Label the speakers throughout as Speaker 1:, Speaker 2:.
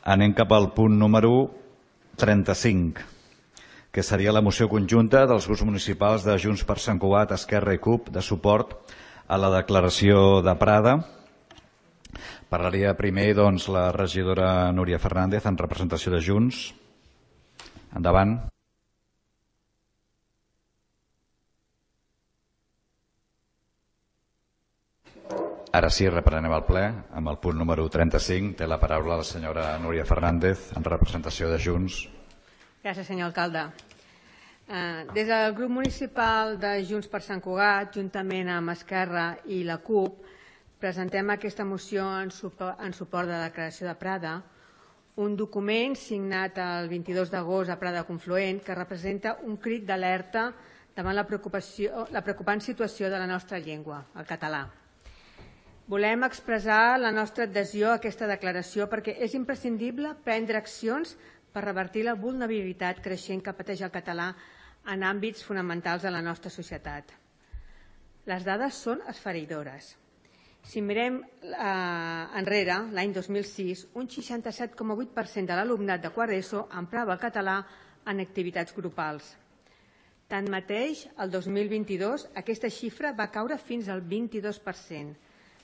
Speaker 1: Anem cap al punt número 35, que seria la moció conjunta dels grups municipals de Junts per Sant Cugat, Esquerra i CUP de suport a la declaració de Prada. Parlaria primer la regidora Núria Fernández en representació de Junts. Endavant. Ara sí, reprenem el ple amb el punt número 35. Té la paraula la senyora Núria Fernández en representació de Junts.
Speaker 2: Gràcies, senyor alcalde. Des del grup municipal de Junts per Sant Cugat, juntament amb Esquerra i la CUP, presentem aquesta moció en suport de la declaració de Prada, un document signat el 22 d'agost a Prada Confluent que representa un crit d'alerta davant la preocupant situació de la nostra llengua, el català. Volem expressar la nostra adhesió a aquesta declaració perquè és imprescindible prendre accions per revertir la vulnerabilitat creixent que pateix el català en àmbits fonamentals de la nostra societat. Les dades són esfereïdores. Si mirem enrere, l'any 2006, un 67,8% de l'alumnat de quart ESO emprava el català en activitats grupals. Tanmateix, el 2022 aquesta xifra va caure fins al 22%,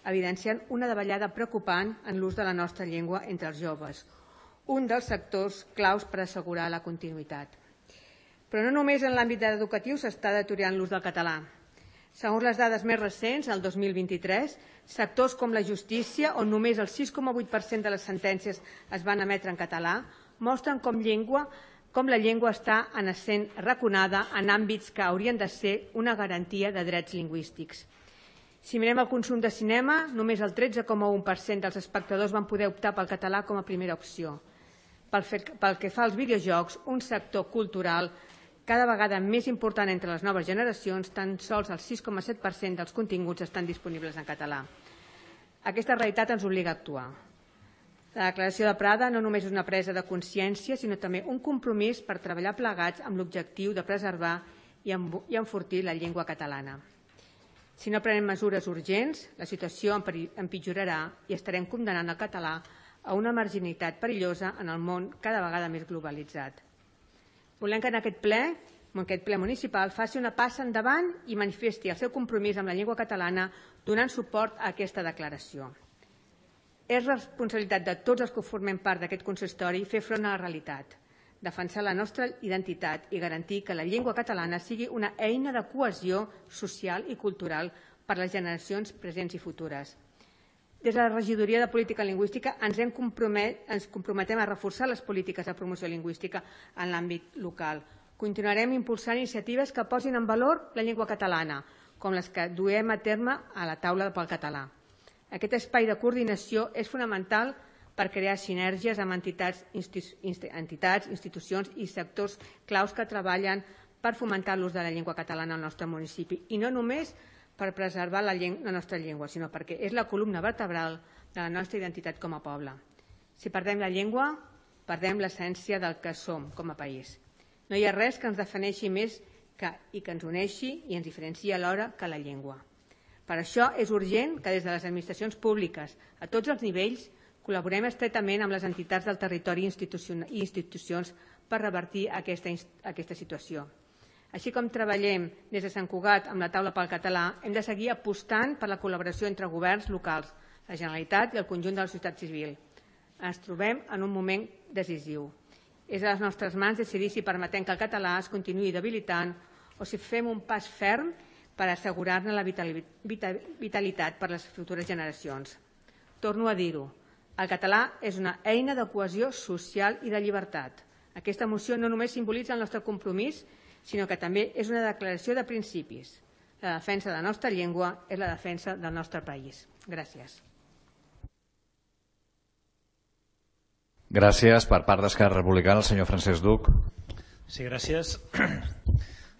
Speaker 2: evidenciant una davallada preocupant en l'ús de la nostra llengua entre els joves, un dels sectors claus per assegurar la continuïtat. Però no només en l'àmbit educatiu s'està deteriorant l'ús del català. Segons les dades més recents, el 2023, sectors com la justícia, on només el 6,8% de les sentències es van emetre en català, mostren com la llengua està sent raconada en àmbits que haurien de ser una garantia de drets lingüístics. Si mirem el consum de cinema, només el 13,1% dels espectadors van poder optar pel català com a primera opció. Pel que fa als videojocs, un sector cultural cada vegada més important entre les noves generacions, tan sols el 6,7% dels continguts estan disponibles en català. Aquesta realitat ens obliga a actuar. La declaració de Prada no només és una presa de consciència, sinó també un compromís per treballar plegats amb l'objectiu de preservar i enfortir la llengua catalana. Si no prenem mesures urgents, la situació empitjorarà i estarem condemnant el català a una marginalitat perillosa en el món cada vegada més globalitzat. Volem que en aquest ple municipal faci una passa endavant i manifesti el seu compromís amb la llengua catalana donant suport a aquesta declaració. És responsabilitat de tots els que formem part d'aquest consistori fer front a la realitat, defensar la nostra identitat i garantir que la llengua catalana sigui una eina de cohesió social i cultural per a les generacions presents i futures. Des de la Regidoria de Política Lingüística ens comprometem a reforçar les polítiques de promoció lingüística en l'àmbit local. Continuarem impulsant iniciatives que posin en valor la llengua catalana, com les que duem a terme a la taula pel català. Aquest espai de coordinació és fonamental per crear sinergies amb entitats, institucions i sectors claus que treballen per fomentar l'ús de la llengua catalana al nostre municipi, i no només per preservar la nostra llengua, sinó perquè és la columna vertebral de la nostra identitat com a poble. Si perdem la llengua, perdem l'essència del que som com a país. No hi ha res que ens defineixi més i que ens uneixi i ens diferenciï alhora que la llengua. Per això és urgent que des de les administracions públiques, a tots els nivells, col·laborem estretament amb les entitats del territori i institucions per revertir aquesta situació. Així com treballem des de Sant Cugat amb la taula pel català, hem de seguir apostant per la col·laboració entre governs locals, la Generalitat i el conjunt de la societat civil. Ens trobem en un moment decisiu. És a les nostres mans decidir si permetem que el català es continuï debilitant o si fem un pas ferm per assegurar-ne la vitalitat per a les futures generacions. Torno a dir-ho. El català és una eina de cohesió social i de llibertat. Aquesta moció no només simbolitza el nostre compromís, sinó que també és una declaració de principis. La defensa de la nostra llengua és la defensa del nostre país. Gràcies.
Speaker 1: Gràcies. Per part d'Esquerra Republicana, el senyor Francesc Duc.
Speaker 3: Sí, gràcies.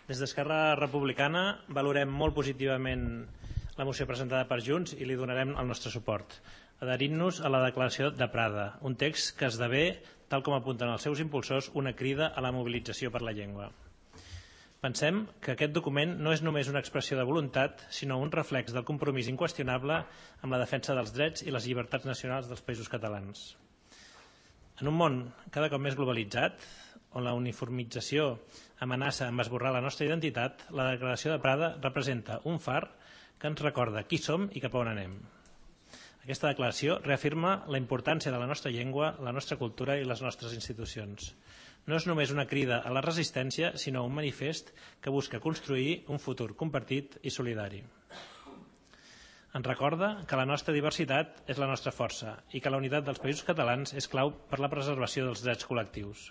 Speaker 3: Des d'Esquerra Republicana valorem molt positivament la moció presentada per Junts i li donarem el nostre suport, adherint-nos a la declaració de Prada, un text que esdevé, tal com apunten els seus impulsors, una crida a la mobilització per la llengua. Pensem que aquest document no és només una expressió de voluntat, sinó un reflex del compromís inqüestionable amb la defensa dels drets i les llibertats nacionals dels països catalans. En un món cada cop més globalitzat, on la uniformització amenaça amb esborrar la nostra identitat, la Declaració de Prada representa un far que ens recorda qui som i cap a on anem. Aquesta declaració reafirma la importància de la nostra llengua, la nostra cultura i les nostres institucions. No és només una crida a la resistència, sinó un manifest que busca construir un futur compartit i solidari. Ens recorda que la nostra diversitat és la nostra força i que la unitat dels països catalans és clau per la preservació dels drets col·lectius.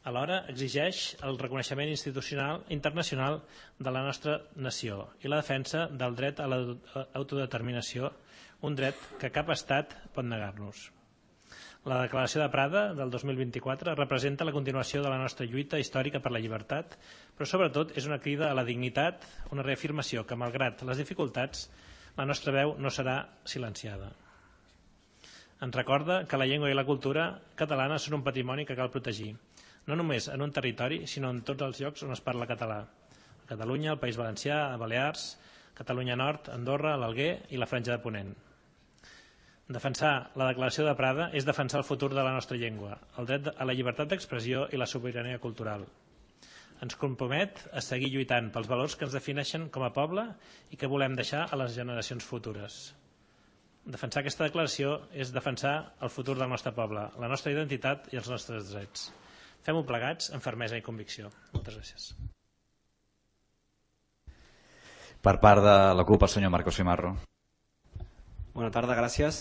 Speaker 3: Alhora, exigeix el reconeixement institucional internacional de la nostra nació i la defensa del dret a l'autodeterminació, un dret que cap estat pot negar-nos. La Declaració de Prada del 2024 representa la continuació de la nostra lluita històrica per la llibertat, però sobretot és una crida a la dignitat, una reafirmació que, malgrat les dificultats, la nostra veu no serà silenciada. Ens recorda que la llengua i la cultura catalana són un patrimoni que cal protegir, no només en un territori, sinó en tots els llocs on es parla català. A Catalunya, al País Valencià, a Balears, Catalunya Nord, Andorra, l'Alguer i la Franja de Ponent. Defensar la Declaració de Prada és defensar el futur de la nostra llengua, el dret a la llibertat d'expressió i la sobirania cultural. Ens compromet a seguir lluitant pels valors que ens defineixen com a poble i que volem deixar a les generacions futures. Defensar aquesta declaració és defensar el futur del nostre poble, la nostra identitat i els nostres drets. Fem-ho plegats amb fermesa i convicció. Moltes gràcies.
Speaker 1: Per part de la CUP, el senyor Marcos Cimarro.
Speaker 4: Bona tarda, gràcies.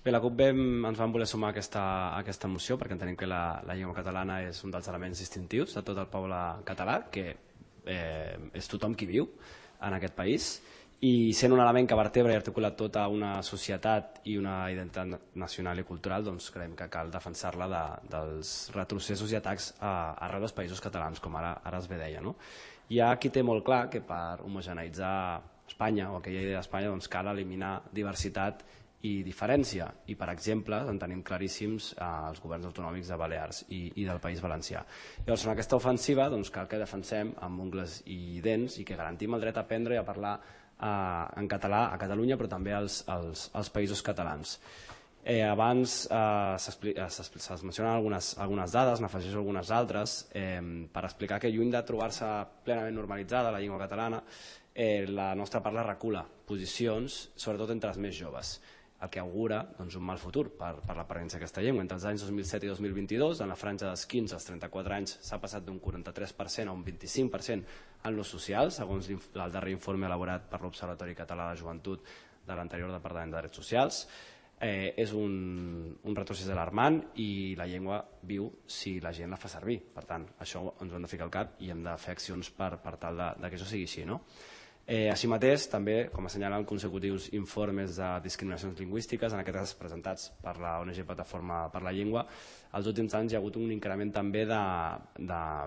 Speaker 4: Bé, la CUP ens vam voler sumar a aquesta moció perquè entenem que la llengua catalana és un dels elements distintius de tot el poble català, que és tothom qui viu en aquest país, i sent un element que vertebra i articula tota una societat i una identitat nacional i cultural, doncs creiem que cal defensar-la dels retrocessos i atacs arreu dels països catalans, com ara es bé deia. Hi ha qui té molt clar que per homogeneïtzar Espanya o aquella idea d'Espanya cal eliminar diversitat i diferència, i per exemple en tenim claríssims els governs autonòmics de Balears i del País Valencià. Llavors, en aquesta ofensiva cal que defensem amb ungles i dents i que garantim el dret a aprendre i a parlar en català a Catalunya, però també als països catalans. Abans es mencionen algunes dades, n'afegeixo algunes altres, per explicar que lluny de trobar-se plenament normalitzada la llengua catalana, la nostra parla recula posicions, sobretot entre els més joves, el que augura un mal futur per la presència d'aquesta llengua. Entre els anys 2007 i 2022, en la franja dels 15 als 34 anys, s'ha passat d'un 43% a un 25% en l'ús social, segons el darrer informe elaborat per l'Observatori Català de Joventut de l'anterior Departament de Drets Socials. És un retrocés alarmant i la llengua viu si la gent la fa servir. Per tant, això ens ho hem de ficar al cap i hem de fer accions per tal que això sigui així. Així mateix, també, com assenyalen consecutius informes de discriminacions lingüístiques, en aquest cas presentats per la ONG Plataforma per la Llengua, als últims anys hi ha hagut un increment també de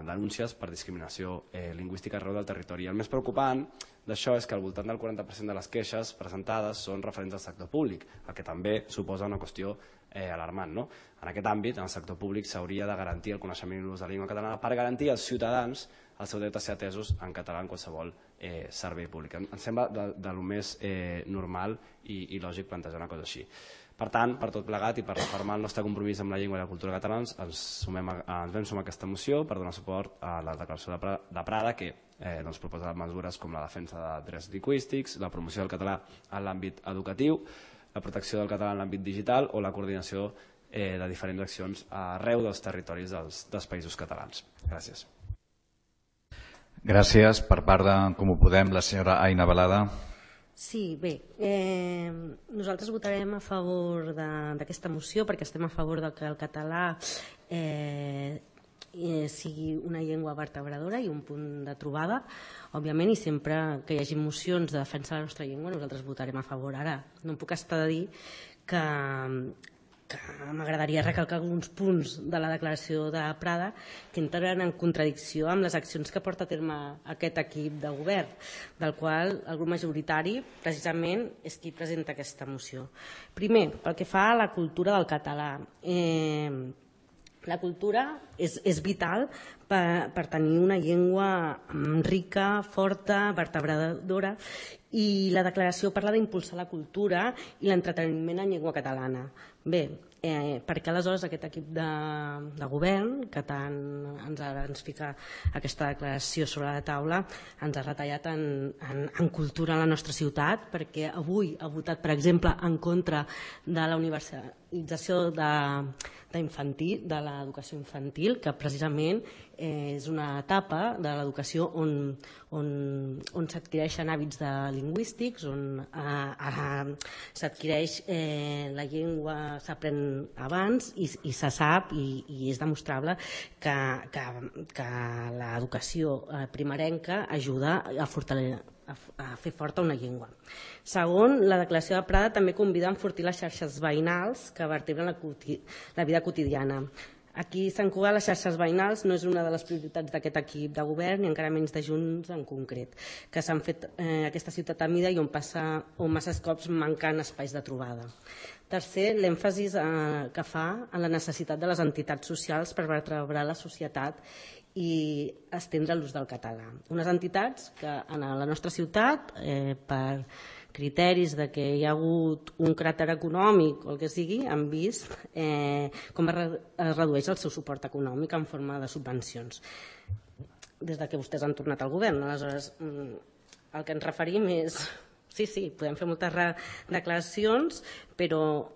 Speaker 4: denúncies per discriminació lingüística arreu del territori. El més preocupant d'això és que al voltant del 40% de les queixes presentades són referents al sector públic, el que també suposa una qüestió alarmant. En aquest àmbit, en el sector públic, s'hauria de garantir el coneixement i l'ús de la llengua catalana per garantir als ciutadans el seu dret a ser atesos en català en qualsevol servei públic. Em sembla de lo més normal i lògic plantejar una cosa així. Per tant, per tot plegat i per refermar el nostre compromís amb la llengua i la cultura catalans, ens vam sumar a aquesta moció per donar suport a la Declaració de Prada, que proposa mesures com la defensa de drets lingüístics, la promoció del català en l'àmbit educatiu, la protecció del català en l'àmbit digital o la coordinació de diferents accions arreu dels territoris dels països catalans. Gràcies.
Speaker 1: Gràcies. Per part de Comú Podem, la senyora Aina Balada.
Speaker 5: Sí, bé, nosaltres votarem a favor d'aquesta moció perquè estem a favor que el català sigui una llengua vertebradora i un punt de trobada, òbviament, i sempre que hi hagi mocions de defensa de la nostra llengua nosaltres votarem a favor. Ara, no em puc estar de dir que m'agradaria recalcar alguns punts de la declaració de Prada que entren en contradicció amb les accions que porta a terme aquest equip de govern, del qual el grup majoritari precisament és qui presenta aquesta moció. Primer, pel que fa a la cultura del català. La cultura és vital per tenir una llengua rica, forta, vertebradora, i la declaració parla d'impulsar la cultura i l'entreteniment en llengua catalana. Bé, perquè aleshores aquest equip de govern, que tant ens fica aquesta declaració sobre la taula, ens ha retallat en cultura a la nostra ciutat, perquè avui ha votat, per exemple, en contra de la universalització de l'educació infantil, que precisament és una etapa de l'educació on s'adquireixen hàbits lingüístics, on s'adquireix la llengua, s'aprèn abans i se sap i és demostrable que l'educació primerenca ajuda a fer forta una llengua. Segon, la declaració de Prada també convida a enfortir les xarxes veïnals que vertebren la vida quotidiana. Aquí a Sant Cugat les xarxes veïnals no és una de les prioritats d'aquest equip de govern i encara menys de Junts en concret, que s'han fet aquesta ciutat a mida i on massa cops manquen espais de trobada. Tercer, l'èmfasis que fa en la necessitat de les entitats socials per vertebrar la societat i estendre l'ús del català. Unes entitats que en la nostra ciutat, per criteris de que hi ha hagut un cràter econòmic o el que sigui, han vist com es redueix el seu suport econòmic en forma de subvencions des que vostès han tornat al govern. Aleshores, el que ens referim és... Sí, podem fer moltes declaracions, però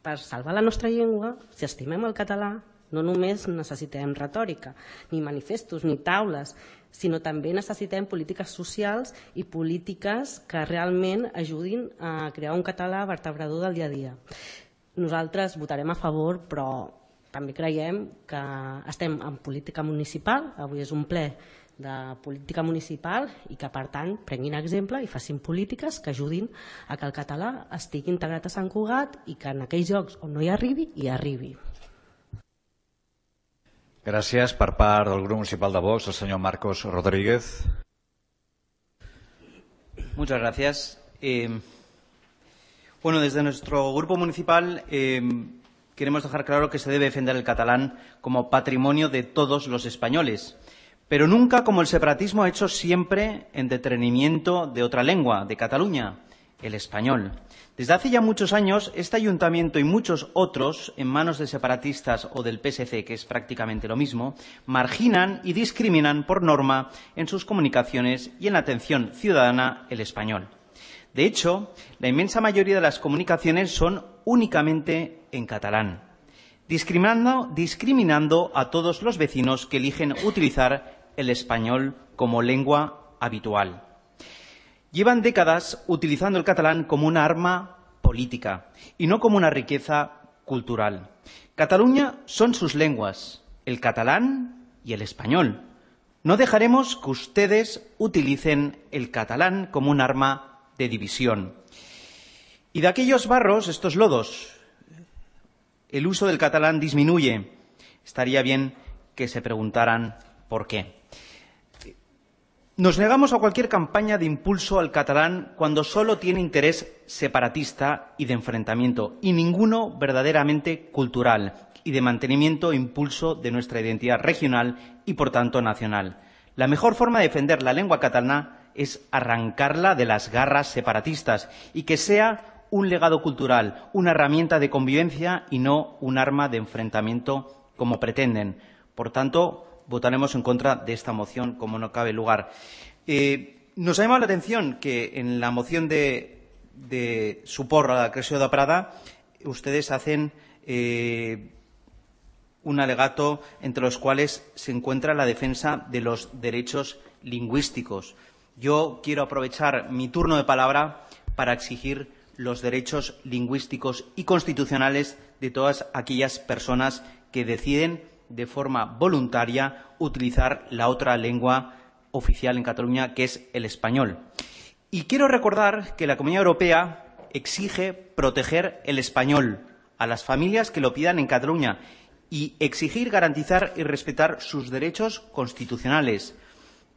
Speaker 5: per salvar la nostra llengua, si estimem el català, no només necessitem retòrica, ni manifestos, ni taules, sinó també necessitem polítiques socials i polítiques que realment ajudin a crear un català vertebrador del dia a dia. Nosaltres votarem a favor, però també creiem que estem en política municipal, avui és un ple de política municipal i que, per tant, prenguin exemple i facin polítiques que ajudin a que el català estigui integrat a Sant Cugat i que en aquells llocs on no hi arribi, hi arribi.
Speaker 1: Gràcies. Per part del grup municipal de Vox, el senyor Marcos Rodríguez.
Speaker 6: Muchas gracias. Bueno, desde nuestro grupo municipal queremos dejar claro que se debe defender el catalán como patrimonio de todos los españoles, pero nunca como el separatismo ha hecho siempre en detrimento de otra lengua, de Cataluña, el español. Desde hace ya muchos años, este ayuntamiento y muchos otros, en manos de separatistas o del PSC, que es prácticamente lo mismo, marginan y discriminan por norma en sus comunicaciones y en la atención ciudadana el español. De hecho, la inmensa mayoría de las comunicaciones son únicamente en catalán, discriminando a todos los vecinos que eligen utilizar el español como lengua habitual. Llevan décadas utilizando el catalán como una arma política y no como una riqueza cultural. Cataluña son sus lenguas, el catalán y el español. No dejaremos que ustedes utilicen el catalán como un arma de división. Y de aquellos barros, estos lodos, el uso del catalán disminuye. Estaría bien que se preguntaran por qué. Nos negamos a cualquier campaña de impulso al catalán cuando solo tiene interés separatista y de enfrentamiento, y ninguno verdaderamente cultural y de mantenimiento e impulso de nuestra identidad regional y, por tanto, nacional. La mejor forma de defender la lengua catalana es arrancarla de las garras separatistas y que sea un legado cultural, una herramienta de convivencia y no un arma de enfrentamiento como pretenden. Por tanto, votaremos en contra de esta moción, como no cabe lugar. Nos ha llamado la atención que en la moción de suport a la creació de Prada ustedes hacen un alegato entre los cuales se encuentra la defensa de los derechos lingüísticos. Yo quiero aprovechar mi turno de palabra para exigir los derechos lingüísticos y constitucionales de todas aquellas personas que deciden de forma voluntaria utilizar la otra lengua oficial en Cataluña, que es el español. Y quiero recordar que la Comunidad Europea exige proteger el español a las familias que lo pidan en Cataluña y exigir, garantizar y respetar sus derechos constitucionales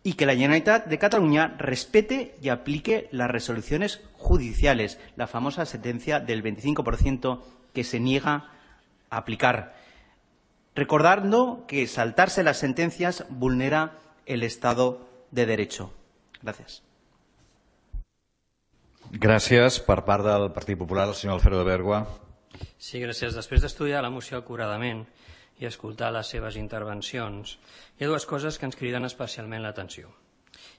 Speaker 6: y que la Generalitat de Cataluña respete y aplique las resoluciones judiciales, la famosa sentencia del 25% que se niega a aplicar, recordando que saltarse las sentencias vulnera el Estado de Derecho. Gràcies.
Speaker 1: Gràcies. Per part del Partit Popular, el senyor Alfredo de Bergua.
Speaker 7: Sí, gràcies. Després d'estudiar la moció acuradament i escoltar les seves intervencions, hi ha dues coses que ens criden especialment l'atenció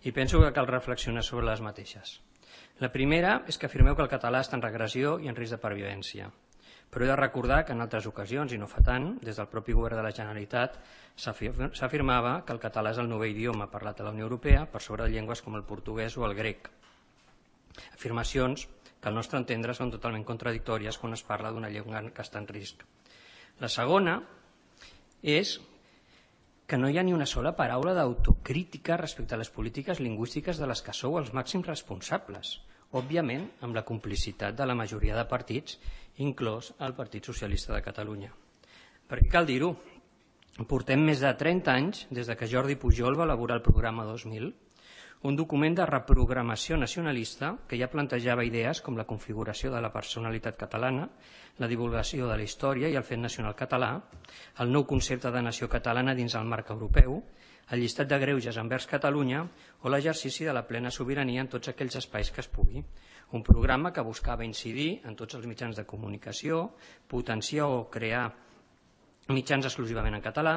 Speaker 7: i penso que cal reflexionar sobre les mateixes. La primera és que afirmeu que el català està en regressió i en risc de pervivència, però he de recordar que en altres ocasions, i no fa tant, des del propi govern de la Generalitat s'afirmava que el català és el novè idioma parlat a la Unió Europea per sobre de llengües com el portuguès o el grec. Afirmacions que al nostre entendre són totalment contradictòries quan es parla d'una llengua que està en risc. La segona és que no hi ha ni una sola paraula d'autocrítica respecte a les polítiques lingüístiques de les que sou els màxims responsables, òbviament amb la complicitat de la majoria de partits, inclòs el Partit Socialista de Catalunya. Perquè cal dir-ho, portem més de 30 anys des que Jordi Pujol va elaborar el programa 2000, un document de reprogramació nacionalista que ja plantejava idees com la configuració de la personalitat catalana, la divulgació de la història i el fet nacional català, el nou concepte de nació catalana dins el marc europeu, el llistat de greuges envers Catalunya o l'exercici de la plena sobirania en tots aquells espais que es pugui. Un programa que buscava incidir en tots els mitjans de comunicació, potenciar o crear mitjans exclusivament en català,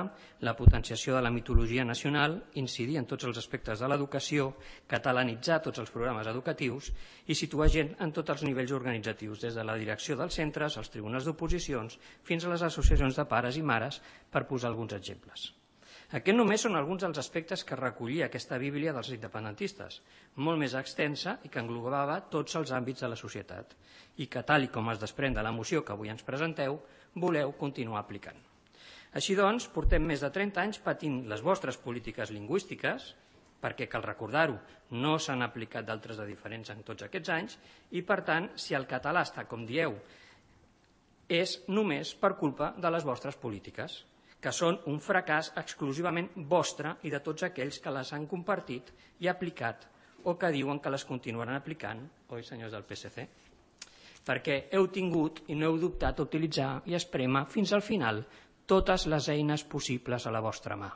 Speaker 7: la potenciació de la mitologia nacional, incidir en tots els aspectes de l'educació, catalanitzar tots els programes educatius i situar gent en tots els nivells organitzatius, des de la direcció dels centres, als tribunals d'oposicions, fins a les associacions de pares i mares, per posar alguns exemples. Aquests només són alguns dels aspectes que recollia aquesta Bíblia dels independentistes, molt més extensa i que englobava tots els àmbits de la societat i que, tal com es desprèn de la moció que avui ens presenteu, voleu continuar aplicant. Així doncs, portem més de 30 anys patint les vostres polítiques lingüístiques, perquè, cal recordar-ho, no s'han aplicat d'altres de diferents en tots aquests anys, i, per tant, si el català està, com dieu, és només per culpa de les vostres polítiques, que són un fracàs exclusivament vostre i de tots aquells que les han compartit i aplicat, o que diuen que les continuaran aplicant, oi, senyors del PSC? Perquè heu tingut i no heu dubtat a utilitzar i esprémer fins al final totes les eines possibles a la vostra mà.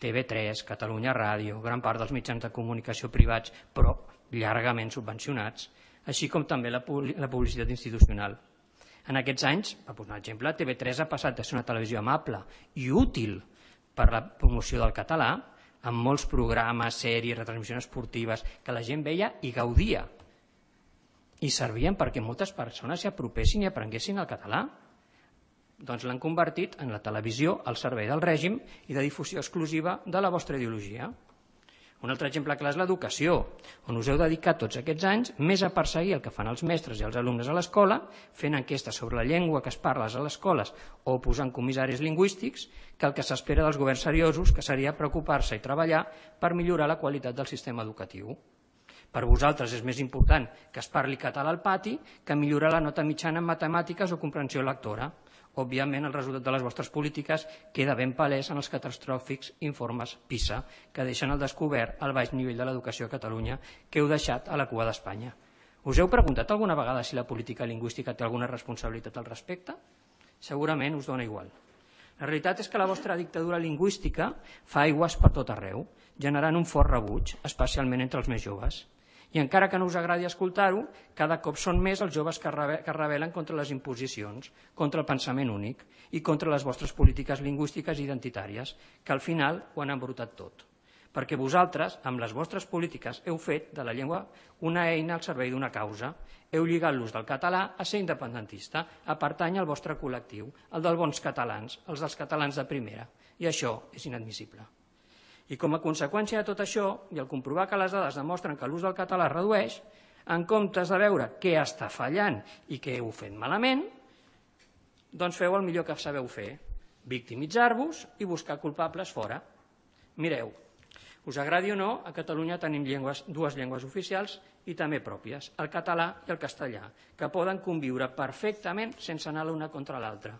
Speaker 7: TV3, Catalunya Ràdio, gran part dels mitjans de comunicació privats, però llargament subvencionats, així com també la publicitat institucional. En aquests anys, per posar un exemple, TV3 ha passat de ser una televisió amable i útil per a la promoció del català, amb molts programes, sèries, retransmissions esportives, que la gent veia i gaudia. I servien perquè moltes persones s'hi apropessin i aprenguessin el català. Doncs l'han convertit en la televisió al servei del règim i de difusió exclusiva de la vostra ideologia. Un altre exemple clar és l'educació, on us heu dedicat tots aquests anys més a perseguir el que fan els mestres i els alumnes a l'escola, fent enquestes sobre la llengua que es parla a les escoles o posant comissaris lingüístics, que el que s'espera dels governs seriosos, que seria preocupar-se i treballar per millorar la qualitat del sistema educatiu. Per vosaltres és més important que es parli català al pati que millorar la nota mitjana en matemàtiques o comprensió lectora. Òbviament, el resultat de les vostres polítiques queda ben palès en els catastròfics informes PISA, que deixen al descobert el baix nivell de l'educació a Catalunya que heu deixat a la cua d'Espanya. Us heu preguntat alguna vegada si la política lingüística té alguna responsabilitat al respecte? Segurament us dona igual. La realitat és que la vostra dictadura lingüística fa aigües per tot arreu, generant un fort rebuig, especialment entre els més joves. I encara que no us agradi escoltar-ho, cada cop són més els joves que rebel·len contra les imposicions, contra el pensament únic i contra les vostres polítiques lingüístiques identitàries, que al final ho han embrutat tot. Perquè vosaltres, amb les vostres polítiques, heu fet de la llengua una eina al servei d'una causa. Heu lligat l'ús del català a ser independentista, a pertany al vostre col·lectiu, el dels bons catalans, els dels catalans de primera. I això és inadmissible. I com a conseqüència de tot això, i al comprovar que les dades demostren que l'ús del català es redueix, en comptes de veure què està fallant i què heu fet malament, doncs feu el millor que sabeu fer, victimitzar-vos i buscar culpables fora. Mireu, us agradi o no, a Catalunya tenim dues llengües oficials i també pròpies, el català i el castellà, que poden conviure perfectament sense anar l'una contra l'altra.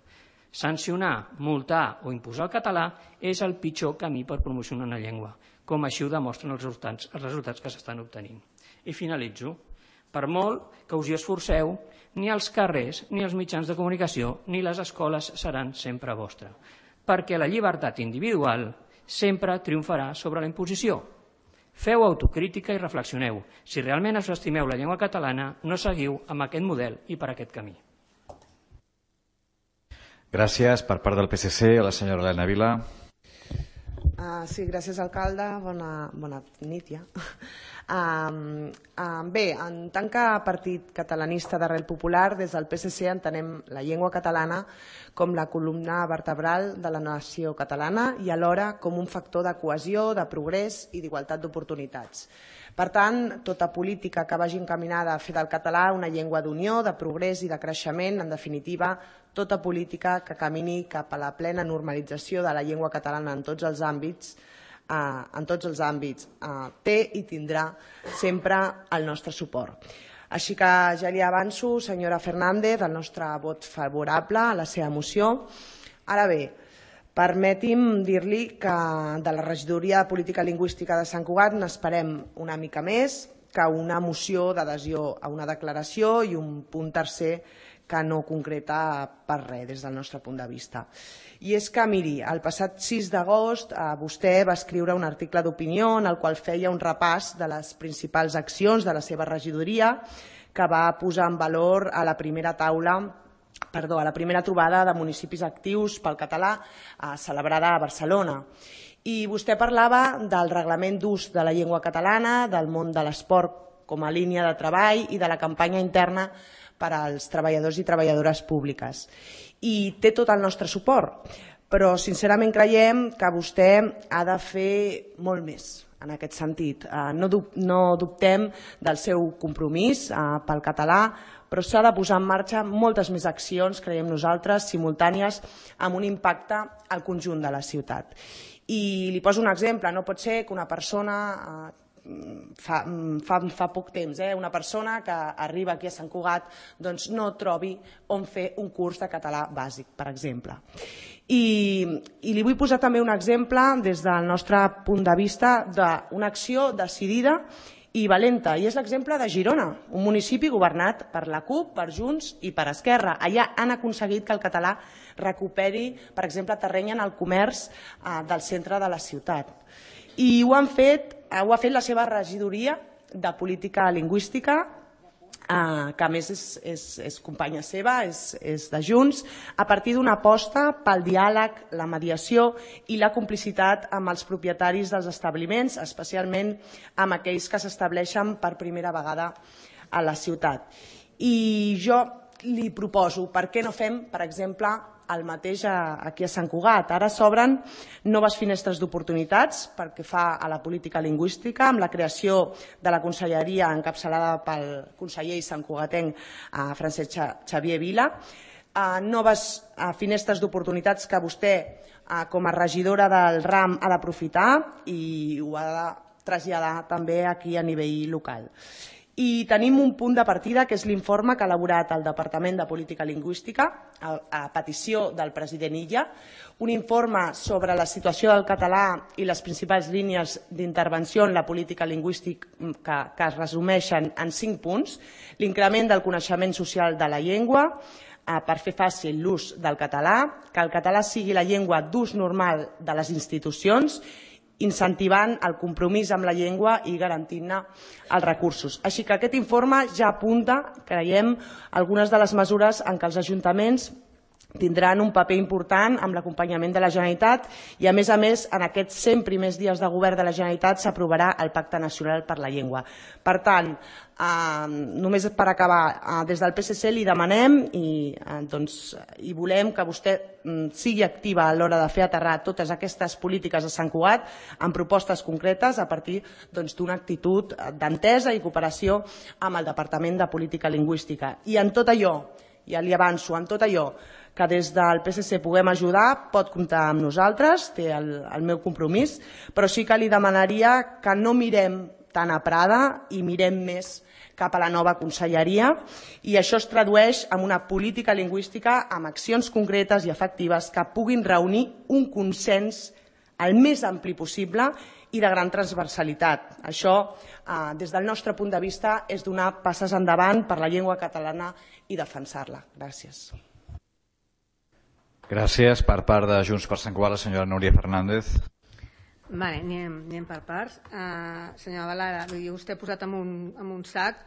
Speaker 7: Sancionar, multar o imposar el català és el pitjor camí per promocionar una llengua, com així ho demostren els resultats que s'estan obtenint. I finalitzo. Per molt que us hi esforceu, ni els carrers, ni els mitjans de comunicació, ni les escoles seran sempre vostres, perquè la llibertat individual sempre triomfarà sobre la imposició. Feu autocrítica i reflexioneu. Si realment us estimeu la llengua catalana, no seguiu amb aquest model i per aquest camí.
Speaker 1: Gràcies. Per part del PSC, a la senyora Helena Vila.
Speaker 8: Sí, gràcies, alcalde. Bona nit, ja. Bé, en tant que partit catalanista d'arrel popular, des del PSC entenem la llengua catalana com la columna vertebral de la nació catalana i alhora com un factor de cohesió, de progrés i d'igualtat d'oportunitats. Per tant, tota política que vagi encaminada a fer del català una llengua d'unió, de progrés i de creixement, en definitiva, tota política que camini cap a la plena normalització de la llengua catalana en tots els àmbits, té i tindrà sempre el nostre suport. Així que ja li avanço, senyora Fernández, el nostre vot favorable a la seva moció. Ara bé, permeti'm dir-li que de la regidoria de política lingüística de Sant Cugat n'esperem una mica més que una moció d'adhesió a una declaració i un punt tercer que no concreta per res des del nostre punt de vista. I és que, miri, el passat 6 d'agost vostè va escriure un article d'opinió en el qual feia un repàs de les principals accions de la seva regidoria que va posar en valor a la primera trobada de municipis actius pel català celebrada a Barcelona. I vostè parlava del reglament d'ús de la llengua catalana, del món de l'esport com a línia de treball i de la campanya interna per als treballadors i treballadores públiques. I té tot el nostre suport, però sincerament creiem que vostè ha de fer molt més en aquest sentit. No dubtem del seu compromís pel català, però s'ha de posar en marxa moltes més accions, creiem nosaltres, simultànies, amb un impacte al conjunt de la ciutat. I li poso un exemple, no pot ser que una persona fa poc temps, una persona que arriba aquí a Sant Cugat no trobi on fer un curs de català bàsic, per exemple. I li vull posar també un exemple des del nostre punt de vista d'una acció decidida i valenta, i és l'exemple de Girona, un municipi governat per la CUP, per Junts i per Esquerra. Allà han aconseguit que el català recuperi, per exemple, terreny en el comerç del centre de la ciutat. I ho ha fet la seva regidoria de política lingüística, que a més és companya seva, és de Junts, a partir d'una aposta pel diàleg, la mediació i la complicitat amb els propietaris dels establiments, especialment amb aquells que s'estableixen per primera vegada a la ciutat. I jo li proposo, per què no fem, per exemple, el mateix aquí a Sant Cugat? Ara s'obren noves finestres d'oportunitats pel que fa a la política lingüística, amb la creació de la conselleria encapçalada pel conseller i santcugatenc Francesc Xavier Vila, noves finestres d'oportunitats que vostè, com a regidora del RAM, ha d'aprofitar i ho ha de traslladar també aquí a nivell local. I tenim un punt de partida, que és l'informe que ha elaborat el Departament de Política Lingüística a petició del president Illa, un informe sobre la situació del català i les principals línies d'intervenció en la política lingüística que es resumeixen en 5 punts: l'increment del coneixement social de la llengua, per fer fàcil l'ús del català, que el català sigui la llengua d'ús normal de les institucions, incentivant el compromís amb la llengua i garantint-ne els recursos. Així que aquest informe ja apunta, creiem, algunes de les mesures en què els ajuntaments tindran un paper important amb l'acompanyament de la Generalitat i, a més, en aquests 100 primers dies de govern de la Generalitat s'aprovarà el Pacte Nacional per la Llengua. Per tant, només per acabar, des del PSC li demanem i volem que vostè sigui activa a l'hora de fer aterrar totes aquestes polítiques a Sant Cugat amb propostes concretes a partir d'una actitud d'entesa i cooperació amb el Departament de Política Lingüística. I en tot allò, ja li avanço, en tot allò que des del PSC puguem ajudar, pot comptar amb nosaltres, té el meu compromís, però sí que li demanaria que no mirem tant a Prada i mirem més cap a la nova conselleria, i això es tradueix en una política lingüística amb accions concretes i efectives que puguin reunir un consens el més ampli possible i de gran transversalitat. Això, des del nostre punt de vista, és donar passes endavant per la llengua catalana i defensar-la. Gràcies.
Speaker 1: Gràcies. Per part de Junts per Sant Cugat, la senyora Núria Fernández.
Speaker 2: Anem per parts. Senyora Valara, vostè ha posat en un sac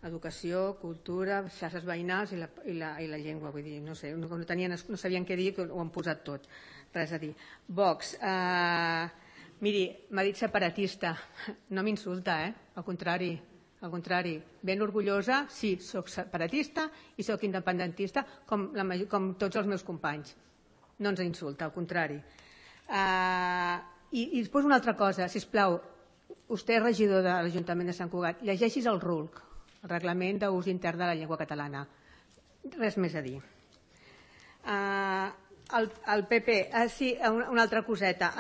Speaker 2: educació, cultura, xarxes veïnals i la llengua. Vull dir, no sé, no sabien què dir, ho han posat tot. Res a dir. Vox, miri, m'ha dit separatista. No m'insulta, al contrari. Al contrari, ben orgullosa, sí, soc separatista i soc independentista com tots els meus companys. No ens insulta, al contrari. I després una altra cosa, sisplau, vostè és regidor de l'Ajuntament de Sant Cugat, llegeixis el RULC, el Reglament d'Ús Intern de la Llengua Catalana. Res més a dir. El PP, sí, una altra coseta.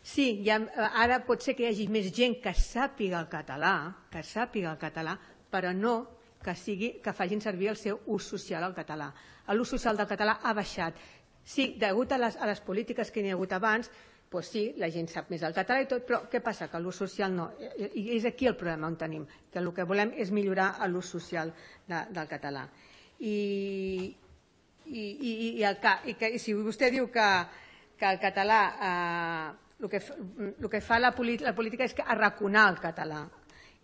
Speaker 2: Sí, ara pot ser que hi hagi més gent que sàpiga el català, però no que facin servir el seu ús social al català. L'ús social del català ha baixat. Sí, degut a les polítiques que n'hi ha hagut abans, doncs sí, la gent sap més el català i tot, però què passa? Que l'ús social no. I és aquí el problema on tenim, que el que volem és millorar l'ús social del català. I si vostè diu que el català, el que fa la política és arraconar el català,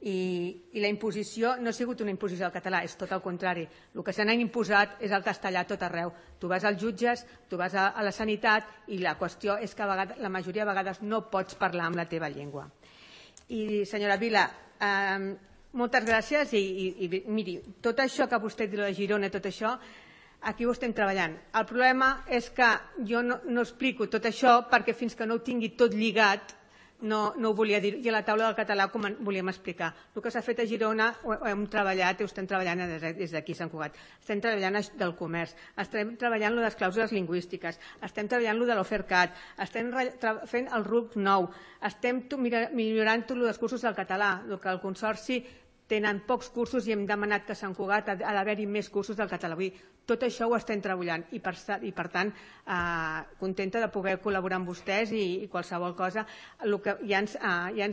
Speaker 2: i la imposició no ha sigut una imposició del català, és tot el contrari. El que se n'ha imposat és el castellà a tot arreu. Tu vas als jutges, tu vas a la sanitat i la qüestió és que la majoria de vegades no pots parlar amb la teva llengua. I senyora Vila, moltes gràcies i miri, tot això que vostè diu de Girona, tot això, aquí ho estem treballant. El problema és que jo no explico tot això perquè fins que no ho tingui tot lligat no ho volia dir, i a la taula del català com volíem explicar. El que s'ha fet a Girona ho hem treballat i ho estem treballant des d'aquí a Sant Cugat. Estem treballant del comerç, estem treballant les clàusules lingüístiques, estem treballant de l'Ofercat, estem fent el RUC nou, estem millorant tots els cursos del català, el que el Consorci tenen pocs cursos i hem demanat que a Sant Cugat ha d'haver-hi més cursos del català. Tot això ho estem treballant i per tant contenta de poder col·laborar amb vostès i qualsevol cosa. Ja ens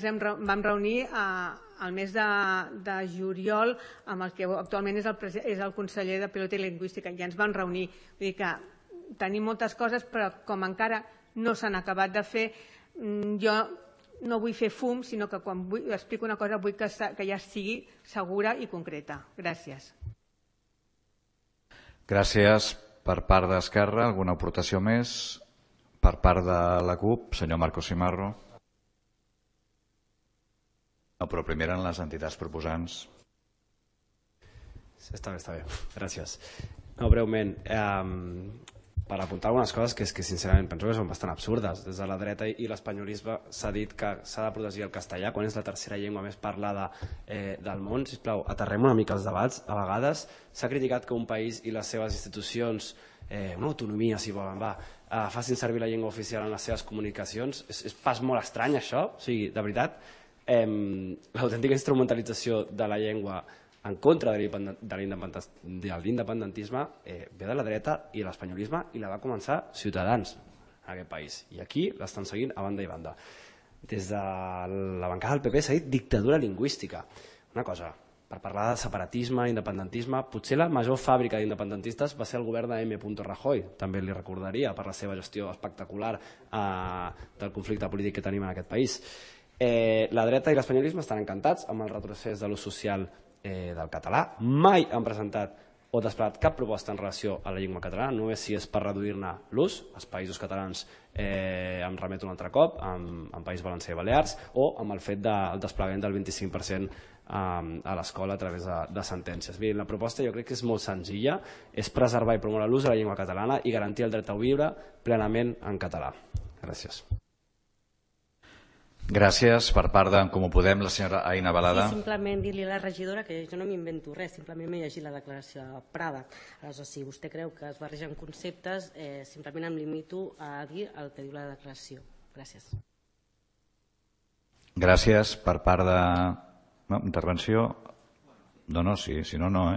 Speaker 2: vam reunir al mes de juliol amb el que actualment és el conseller de Pilota i Lingüística. Ja ens vam reunir. Vull dir que tenim moltes coses però com encara no s'han acabat de fer, jo no vull fer fum, sinó que quan explico una cosa vull que ja sigui segura i concreta. Gràcies.
Speaker 1: Gràcies per part d'Esquerra. Alguna aportació més? Per part de la CUP, senyor Marcos Simarro. No, però primer eren les entitats proposants.
Speaker 4: Està bé. Gràcies. No, breument, per apuntar algunes coses que sincerament penso que són bastant absurdes. Des de la dreta i l'espanyolisme s'ha dit que s'ha de protegir el castellà quan és la tercera llengua més parlada del món. Sisplau, aterrem una mica els debats. A vegades s'ha criticat que un país i les seves institucions, una autonomia si volen, facin servir la llengua oficial en les seves comunicacions. És pas molt estrany això, o sigui, de veritat, l'autèntica instrumentalització de la llengua en contra de l'independentisme ve de la dreta i l'espanyolisme i la va començar Ciutadans en aquest país i aquí l'estan seguint a banda i banda. Des de la bancada del PP s'ha dit dictadura lingüística. Una cosa, per parlar de separatisme, independentisme, potser la major fàbrica d'independentistes va ser el govern de M. Rajoy, també li recordaria per la seva gestió espectacular del conflicte polític que tenim en aquest país. La dreta i l'espanyolisme estan encantats amb el retrocés de l'ús social del català, mai han presentat o desplegat cap proposta en relació a la llengua catalana, només si és per reduir-ne l'ús. Els països catalans em remeto un altre cop, en País Valencià i Balears, o amb el fet del desplegament del 25% a l'escola a través de sentències. Mirin, la proposta jo crec que és molt senzilla, és preservar i promoure l'ús de la llengua catalana i garantir el dret a viure plenament en català. Gràcies.
Speaker 1: Gràcies. Per part d'en Comú Podem, la senyora Aina Balada.
Speaker 5: Sí, simplement dir-li a la regidora que jo no m'invento res, simplement m'he llegit la declaració de Prada. Aleshores, si vostè creu que es barregen conceptes, simplement em limito a dir el que diu la declaració. Gràcies.
Speaker 1: Gràcies. Per part de... No, intervenció? No, sí, si no, no,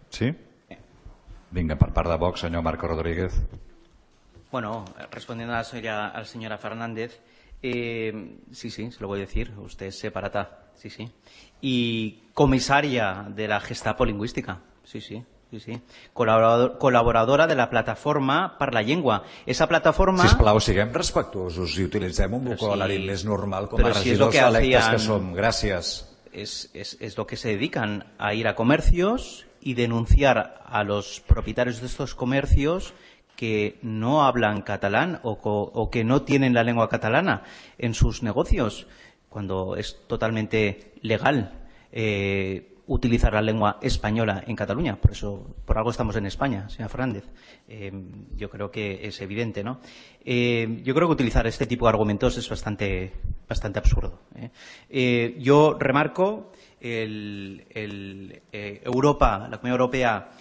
Speaker 1: Sí? Vinga, per part de Vox, senyor Marco Rodríguez.
Speaker 6: Bueno, respondiendo a la señora Fernández, sí, se lo voy a decir, usted es separata, sí. Y comisaria de la Gestapo lingüística, sí. Col·laboradora de la plataforma per la llengua. Esa plataforma...
Speaker 1: Sisplau, siguem respectuosos i utilitzem un vocabulari més normal com a regidors electes que som. Gràcies.
Speaker 6: es lo que se dedican, a ir a comercios y denunciar a los propietarios de estos comercios que no hablan catalán o que no tienen la lengua catalana en sus negocios, cuando es totalmente legal utilizar la lengua española en Cataluña. Por algo estamos en España, señora Fernández. Yo creo que es evidente, ¿no? Yo creo que utilizar este tipo de argumentos es bastante absurdo. Yo remarco Europa, la Comunidad Europea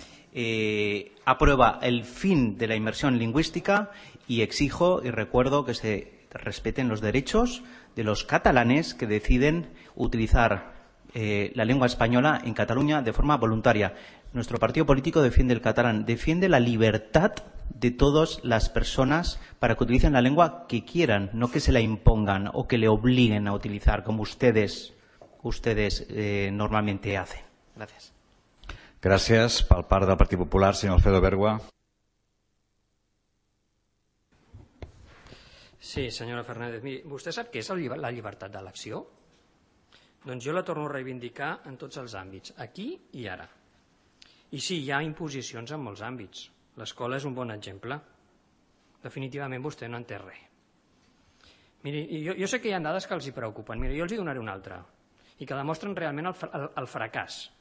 Speaker 6: aprueba el fin de la inmersión lingüística y exijo y recuerdo que se respeten los derechos de los catalanes que deciden utilizar la lengua española en Cataluña de forma voluntaria. Nuestro partido político defiende el catalán, defiende la libertad de todas las personas para que utilicen la lengua que quieran, no que se la impongan o que le obliguen a utilizar como ustedes normalmente hacen. Gracias.
Speaker 1: Gràcies. Per part del Partit Popular, senyor Alfredo Bergua.
Speaker 7: Sí, senyora Fernández. Miri, vostè sap què és la llibertat d'elecció? Doncs jo la torno a reivindicar en tots els àmbits, aquí i ara. I sí, hi ha imposicions en molts àmbits. L'escola és un bon exemple. Definitivament vostè no en té res. Miri, jo sé que hi ha dades que els hi preocupen. Miri, jo els hi donaré una altra i que demostren realment el fracàs.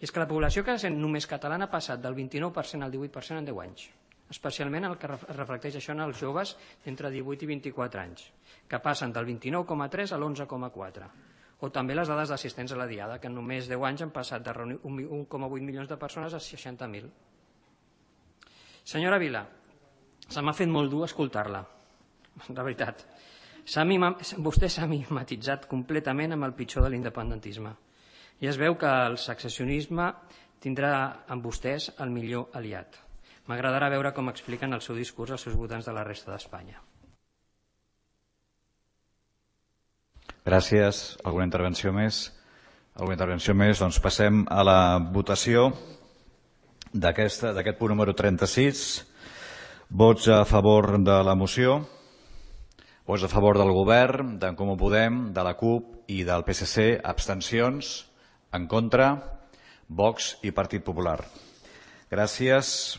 Speaker 7: I és que la població que sent només catalana ha passat del 29% al 18% en 10 anys. Especialment el que reflecteix això en els joves entre 18 i 24 anys, que passen del 29,3 a l'11,4. O també les dades d'assistents a la Diada, que en només 10 anys han passat de reunir 1,8 milions de persones a 60.000. Senyora Vila, se m'ha fet molt dur escoltar-la, de veritat. Vostè s'ha mimetitzat completament amb el pitjor de l'independentisme. I es veu que el secessionisme tindrà amb vostès el millor aliat. M'agradarà veure com expliquen el seu discurs als seus votants de la resta d'Espanya.
Speaker 1: Gràcies. Alguna intervenció més? Doncs passem a la votació d'aquest punt número 36. Vots a favor de la moció. Vots a favor del govern, d'en Comú Podem, de la CUP i del PSC. Abstencions. En contra, Vox i Partit Popular. Gràcies.